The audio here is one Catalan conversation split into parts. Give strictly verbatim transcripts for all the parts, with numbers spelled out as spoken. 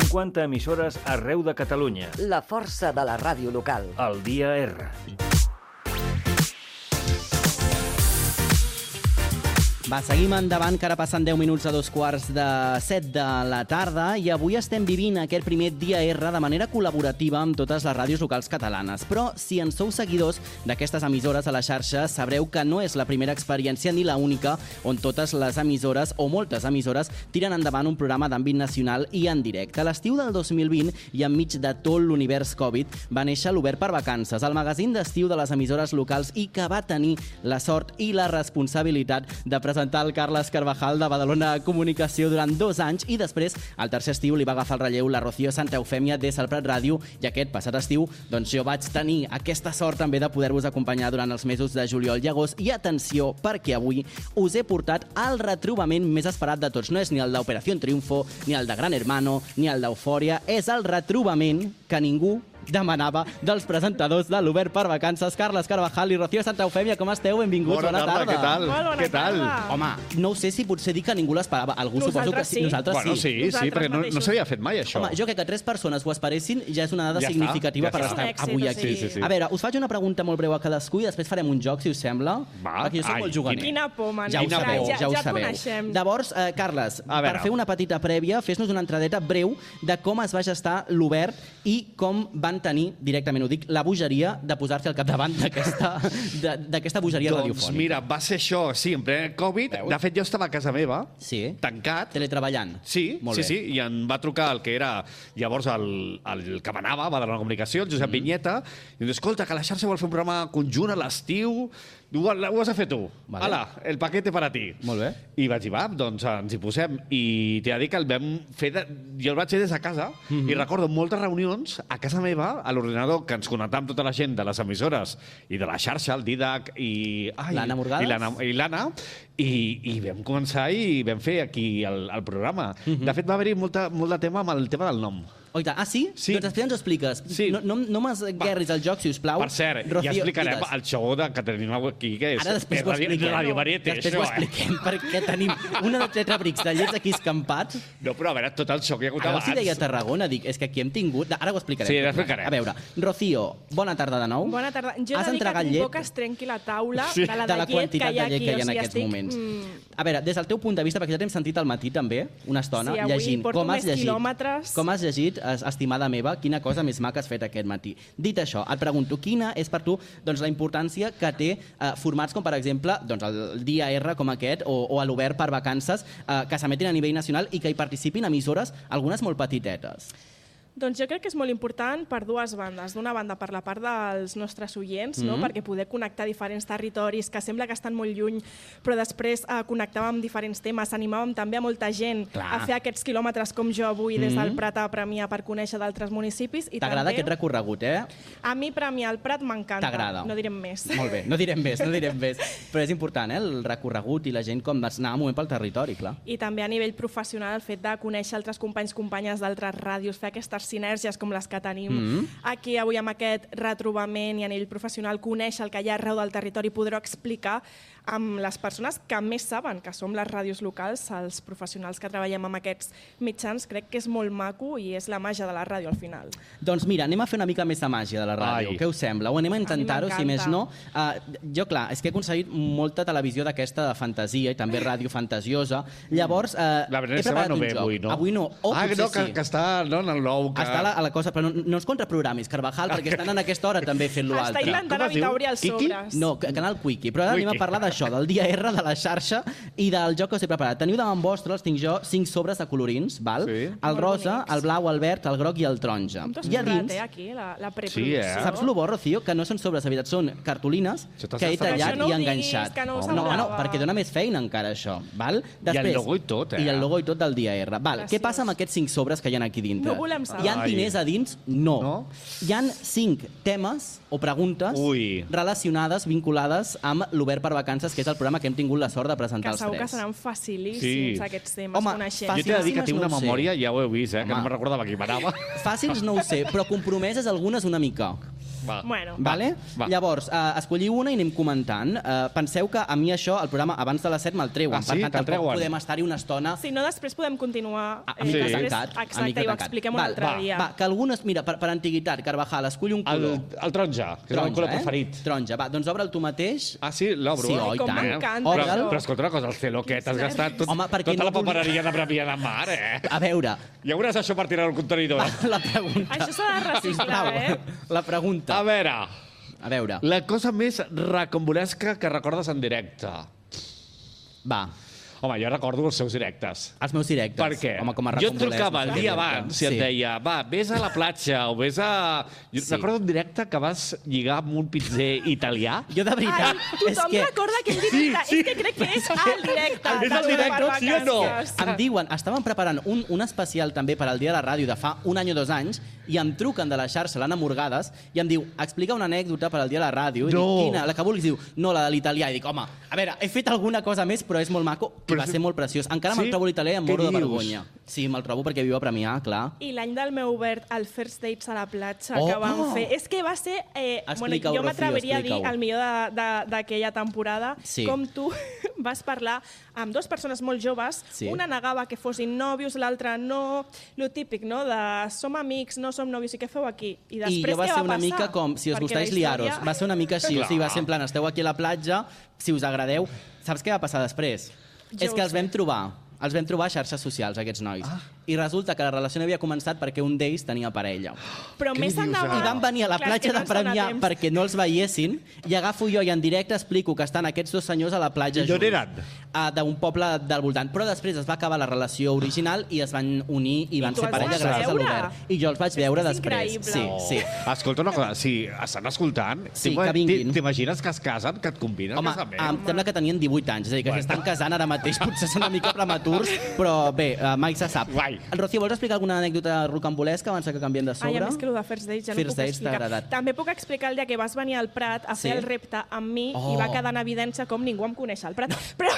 cinquanta emissores arreu de Catalunya. La força de la ràdio local. El dia R. Va, seguim endavant, que ara passen deu minuts a dos quarts de set de la tarda i avui estem vivint aquest primer dia R de manera col·laborativa amb totes les ràdios locals catalanes. Però si en sou seguidors d'aquestes emissores a la xarxa, sabreu que no és la primera experiència ni la única on totes les emissores, o moltes emissores, tiren endavant un programa d'àmbit nacional i en directe. A l'estiu del dos mil vint i enmig de tot l'univers Covid va néixer l'Obert per Vacances, el magazín d'estiu de les emissores locals i que va tenir la sort i la responsabilitat de presentar presentar el Carles Carvajal de Badalona Comunicació durant dos anys i després, al tercer estiu, li va agafar el relleu la Rocío Santa Eufèmia des del Prat Ràdio i aquest passat estiu, doncs jo vaig tenir aquesta sort també de poder-vos acompanyar durant els mesos de juliol i agost. I atenció, perquè avui us he portat el retrobament més esperat de tots. No és ni el d'Operació Triunfo, ni el de Gran Hermano, ni el d'Eufòria. És el retrobament que ningú demanava dels presentadors de l'Obert per Vacances, Carles Carvajal i Rocío Santa Eufèmia. Com esteu? Benvinguts, bona, bona tarda. Què tal? Molt bona Què tal? tarda. Home, no ho sé si potser dir que ningú l'esperava. Algú Nosaltres suposo que sí. sí. Nosaltres Bueno, sí, sí. sí, perquè no, no s'havia fet mai, això. Home, jo crec que tres persones ho esperessin ja és una dada Ja està, significativa ja per està. estar És un èxit, avui o aquí. sigui. Sí, sí, sí. A veure, us faig una pregunta molt breu a cadascú i després farem un joc, si us sembla. Va, perquè jo soc ai, molt juganer. Quina por, man. Ja ho Quina sabeu, por. ja, ho ja et sabeu. coneixem. Llavors, eh, Carles, A per veure. fer una petita prèvia, fes-nos una entradeta breu de com es va gestar l'Obert i com van tenir, directament ho dic, la bogeria de posar-se al capdavant d'aquesta de- d'aquesta bogeria Doncs radiofònica. mira, va ser això, sí, en ple Covid. Veus? De fet, jo estava a casa meva, Sí. tancat. Teletreballant. Sí, Molt sí, bé. sí, i em va trucar el que era llavors el, el que manava, va de la comunicació, el Josep mm. Vinyeta, i em diu, escolta, que la xarxa vol fer un programa conjunt a l'estiu, ho, ho has de fer tu. Vale. Ala, el paquete per a ti. Molt bé. I vaig dir, va, doncs ens hi posem. I t'he de dir que el vam fer, de, jo el vaig fer des de casa, mm -hmm. i recordo moltes reunions a casa meva, a l'ordinador, que ens connectàvem tota la gent de les emissores i de la xarxa, el Didac i... ai, L'Anna Morgades? I l'Anna, i l'Anna, i, i vam començar i vam fer aquí el, el programa. Mm -hmm. De fet, va haver-hi molta, molt de tema amb el tema del nom. Oh, ah, sí? Sí. Doncs després ens ho expliques. Sí. No, no, no m'esguerris el joc, si us plau. Per cert, Rocío, ja explicarem digues. el show de, que tenim aquí, que és, Ara després és ho Radio, expliquem. Radio Varieté, després això, ho eh? expliquem, perquè tenim una de tres abrics de llets aquí escampats. No, però a veure, tot el show que hi ha hagut Ara abans. els hi deia a Tarragona, dic, és que aquí hem tingut... Ara ho explicarem. Sí, ara explicarem. A veure, Rocío, bona tarda de nou. Bona tarda. Jo he Has de dir que entregat tinc llet? por que es trenqui la taula Sí. de la de, de la llet quantitat que hi ha de llet aquí. que hi ha o en sigui, aquests estic, moments. mm, A veure, des del teu punt de vista, perquè ja t'hem sentit al matí també, una estona, Sí, avui llegint. porto Com has més llegit? quilòmetres. Com has llegit, es- estimada meva, quina cosa més maca has fet aquest matí. Dit això, et pregunto, quina és per tu doncs, la importància que té eh, formats com, per exemple, doncs, el Dia R com aquest o, o a l'Obert per Vacances, eh, que s'emetin a nivell nacional i que hi participin emissores, algunes molt petitetes. Doncs jo crec que és molt important per dues bandes. D'una banda, per la part dels nostres oients, no? Mhm. Perquè poder connectar diferents territoris que sembla que estan molt lluny, però després eh, connectàvem amb diferents temes, animàvem també a molta gent Clar. a fer aquests quilòmetres com jo avui des del Mhm. Prat a Premià per conèixer d'altres municipis. I T'agrada també, aquest recorregut, eh? A mi Premià al Prat m'encanta. T'agrada. No direm més. Molt bé, no direm més, no direm més. Però és important, eh, el recorregut i la gent com anar un moment pel territori, clar. I també a nivell professional el fet de conèixer altres companys, companyes d'altres ràdios, fer aquestes sinergies com les que tenim Mhm. aquí avui amb aquest retrobament i a nivell professional, conèixer el que hi ha arreu del territori, poder-ho explicar amb les persones que més saben, que som les ràdios locals, els professionals que treballem amb aquests mitjans. Crec que és molt maco i és la màgia de la ràdio al final. Doncs mira, anem a fer una mica més de màgia de la ràdio. Ai. Què us sembla? O anem a intentar-ho, si m'encanta. més no. Uh, jo, clar, és que he aconseguit molta televisió d'aquesta de fantasia i també ràdio fantasiosa. Llavors, uh, La he Vanessa preparat no un ve joc. avui, no? Avui no. O ah, potser no, que, sí. que està no, en el nou. Que... Està a la, a la cosa, però no, no ens contraprogramis, Carvajal, perquè estan en aquesta hora també fent-lo Està altre. intentant Com es diu? evitar obrir els Quiki? sobres. No, ca- canal Quickie. Però ara anem a Quickie. parlar d'això, del dia R, de la xarxa i del joc que us he preparat. Teniu davant vostre, els tinc jo, cinc sobres de colorins, val? Sí. El Molt rosa, bonics. el blau, el verd, el groc i el taronja. Com t'ho has I a currat, dins, eh, aquí, la, la Sí, preproducció. eh? saps el bo, Rocío? Que no són sobres de veritat, són cartolines Això t'has que he estat- tallat Això no i ho diguis, enganxat. que no ho no, no, semblava. perquè dona més feina encara, això. Val? el logo i tot, eh? I el logo i tot del dia R. Val. Graciós. Què passa amb aquests cinc sobres que hi ha aquí dintre? No volem saber. Hi ha Ai. diners a dins? No. No? Hi han cinc temes o preguntes Ui. relacionades, vinculades amb l'Obert per Vacances, que és el programa que hem tingut la sort de presentar Que els segur que tres. seran facilíssims, Sí. aquests temes, Home, coneixent. Jo t'he de dir que Facilíssimes tinc una no ho sé. memòria, ja ho heu vist, eh? Que Home. no me'n recordava qui manava. Fàcils no ho sé, però compromeses algunes una mica. Va. Bueno. Vale? Va. Llavors, uh, escolliu una i anem comentant. Uh, penseu que a mi això, el programa abans de les set me'l treuen. Ah, sí? Per tant, Te'l tampoc treuen? podem estar-hi una estona. Si no, després podem continuar. A, a mica després, tancat. a Exacte, mica i ho tancat. expliquem un Val, altre va, dia. Va, que algunes... Mira, per, per antiguitat, Carvajal, escull un El, color. el taronja, que és el meu color preferit. Taronja, va, doncs obre'l tu mateix. Ah, sí? L'obro? Sí, eh? oi, Com tant. m'encanta, Obre'l. això. Però escolta una cosa, el celo aquest, has gastat tot, Home, perquè tota no la volia- papereria de Premià de Mar, eh? A veure, Ja veuràs això per tirar al contenidor. la pregunta... Això s'ha de reciclar, Sisplau, eh? La pregunta. A veure, A veure, la cosa més recombolesca que recordes en directe. va, Home, jo recordo els seus directes. els meus directes. Per què? Home, com a jo et recombolesc, trucava el no sé dia què dir-te. abans i et deia, va, vés a la platja o vés a... Jo Sí. recordo un directe que vas lligar amb un pizzer italià. Jo de veritat, Ai, és tothom que... recorda que és directe. sí. És que crec que és al directe. És al de directe, sí o no? Supervacances. Em diuen, estaven preparant un, un especial també per al Dia de la Ràdio de fa un any o dos anys i em truquen de la xarxa, l'Anna Morgades, i em diu, explica una anècdota per al Dia de la Ràdio. I No. dic, quina? La que vulguis. Diu, no, la de l'italià. I dic, home, a veure, he fet alguna cosa més, però és molt maco i Però va és- ser molt preciós. Encara Sí? me'l trobo l'italià i em Què moro de dius? vergonya. Sí, me'l trobo perquè viu a Premià, clar. I l'any del meu obert, el First Dates a la platja Oh! que vam fer. És que va ser... Eh, bueno, Explica-ho, jo Rocío, m'atreviria a dir explica-ho. el millor de- de- d'aquella temporada, Sí. com tu vas parlar amb dues persones molt joves, Sí. una negava que fossin nòvios, l'altra no, lo típic, no?, de som amics, no som nòvios, i què feu aquí? I I després jo va què ser va una passar? mica com, si us Perquè gustáis la història- liaros. Va ser una mica així, o sigui, va ser en plan, esteu aquí a la platja, si us agradeu. Saps què va passar després? Jo És que ho els sé. vam trobar, els vam trobar a xarxes socials, aquests nois. Ah. I resulta que la relació no havia començat perquè un d'ells tenia parella. Però Què més dius, endavant... I van venir a la Clar, és que platja de no ens dona Premià temps. perquè no els veiessin i agafo jo i en directe explico que estan aquests dos senyors a la platja I d'on junts. eren? Uh, D'un poble del voltant. Però després es va acabar la relació original i es van unir i van tu ser els parella vas gràcies a veure? l'Obert. I jo els vaig És veure que és després. increïble. Sí, Oh. sí. Escolta una cosa, si estan escoltant, Sí, t'ima- que vinguin. t'imagines que es casen, que et conviden Home, a casament? em sembla que tenien divuit anys, és a dir, que Bueno. s'estan casant ara mateix, potser són una mica prematurs, però bé, uh, mai se sap. Guai. Rocío, vols explicar alguna anècdota rocambolesca abans que canviem de sobre? Ai, a més que el de First Dates ja First no puc Dates t'ha explicar. agradat. També puc explicar el dia que vas venir al Prat a fer Sí? el repte amb mi Oh. i va quedar en evidència com ningú em coneix al Prat. Però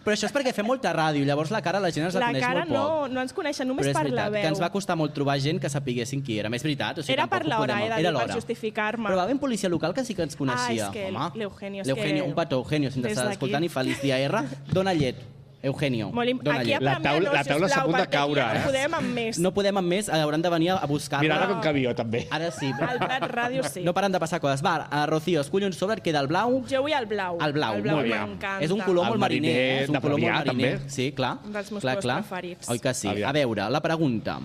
Però això és perquè fem molta ràdio, llavors la cara la gent ens la, la coneix cara molt poc. no, no ens coneixen, només Però és per la veritat, veu. que ens va costar molt trobar gent que sapiguessin qui érem. És veritat. O sigui, Era tampoc per ho l'hora, podem- eh, de dir, Era per l'hora. justificar-me. Però va haver un policia local que sí que ens coneixia. Ah, és que Home. l'Eugenio, és L'Eugenio, que- un petó, Eugenio, si ens Des estàs d'aquí. escoltant i feliç dia R, dona llet. Eugenio, Molt im- dona aquí a llet. La Premià taula- no, la taula està a sisplau, punt de perquè aquí caure, ja eh? no podem amb més. No podem amb més, hauran de venir a buscar-la. Mira, ara com que viu, també. Ara sí. Al Prat Ràdio sí. No paren de passar coses. Va, a Rocío, escull un sobre, et queda el blau. Jo vull el blau. El blau, el blau molt bé. m'encanta. És un color El molt mariner, mariner eh? És un de color molt Premià, mariner. també. Sí, clar. Un dels meus clar, colors clar. preferits. Oi que sí? Aviam. A veure, la pregunta.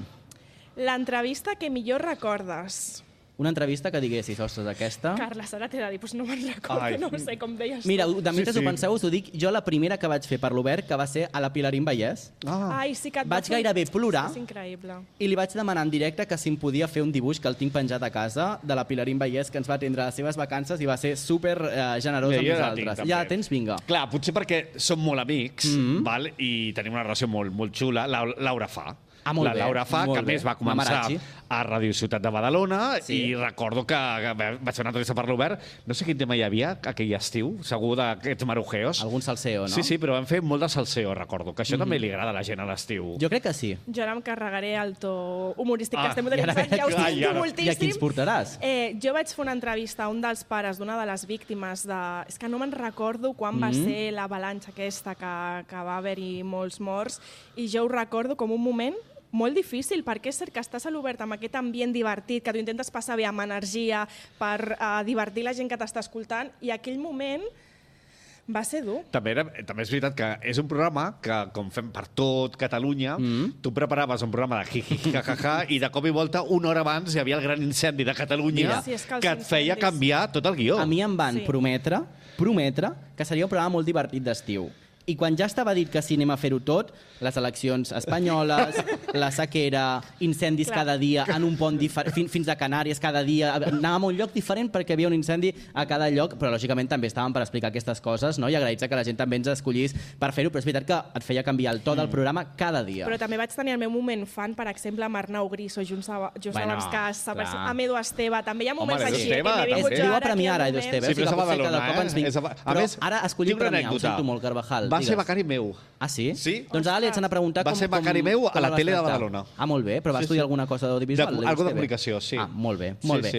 L'entrevista que millor recordes. Una entrevista que diguessis, ostres, aquesta... Carles, ara t'he de dir, doncs no me'n recordo, Ai. no ho sé com deies tu. Mira, de mentre Sí, sí. ho penseu, us ho dic, jo la primera que vaig fer per l'Obert, que va ser a la Pilarín Vallès, Ah. Ai, sí que et va vaig fer- gairebé plorar. És increïble. i li vaig demanar en directe que si em podia fer un dibuix que el tinc penjat a casa de la Pilarín Vallès, que ens va atendre a les seves vacances i va ser super eh, generós Bé, amb jo ja la nosaltres. tinc, també. Ja la tens? Vinga. Clar, potser perquè som molt amics, Mhm. mm -hmm. val? I tenim una relació molt, molt xula. La, Laura Fa. Ah, molt la bé, Laura Fa, molt que a bé. més va començar Mamarazzi. a Ràdio Ciutat de Badalona Sí. i recordo que que vaig fer una entrevista per l'Obert. No sé quin tema hi havia aquell estiu, segur d'aquests marujeos. Algun salseo, no? Sí, sí, però vam fer molt de salseo, recordo, que això mm -hmm. també li agrada a la gent a l'estiu. Jo crec que sí. Jo ara em carregaré el to humorístic Ah, que estem i utilitzant, ara- ja us Ai, tinc ara. moltíssim. I a qui ens portaràs? Eh, jo vaig fer una entrevista a un dels pares d'una de les víctimes de... És que no me'n recordo quan va Mhm. ser l'avalanxa aquesta que, que va haver-hi molts morts i jo ho recordo com un moment molt difícil, perquè és cert que estàs a l'Obert amb aquest ambient divertit, que tu intentes passar bé amb energia per uh, divertir la gent que t'està escoltant, i aquell moment va ser dur. També, era, també és veritat que és un programa que, com fem per tot Catalunya, mm -hmm. tu preparaves un programa de jiji, jajaja, i de cop i volta, una hora abans, hi havia el gran incendi de Catalunya Mira. Sí, és que els que et feia incendis- canviar tot el guió. A mi em van Sí. prometre, prometre, que seria un programa molt divertit d'estiu. I quan ja estava dit que sí, anem a fer-ho tot, les eleccions espanyoles, la sequera, incendis Clar. cada dia en un pont diferent, fins, fins a Canàries cada dia, anàvem a un lloc diferent perquè hi havia un incendi a cada lloc, però lògicament també estàvem per explicar aquestes coses, no? I agraïts que la gent també ens escollís per fer-ho, però és veritat que et feia canviar el to del programa cada dia. Però també vaig tenir el meu moment fan, per exemple, amb Arnau Griso, just, a, just Bueno, abans que s'apareixi, clar. amb Edu Esteve. També hi ha moments Home, Edu així, Esteve, eh, que m'he també. vingut És, jo viu a ara aquí Premià al ara, Edu moment. Esteve, Sí, o sigui però és que a potser cada Badalona, cop ens eh? vinc. És a Ba- a Però més, ara escollim tinc una Premià, ho anècdota. sento molt, Carvajal. Va ser digues. becari meu. Ah, sí? Sí. Doncs ara li haig d'anar a preguntar Va com... ser com, becari meu com a la el vas tele de tractar. Badalona. Ah, molt bé, però va Sí, estudiar sí. alguna cosa d'audiovisual? De- l'Edu algo de Esteve? comunicació, sí. Ah, molt bé, Sí, molt bé. sí.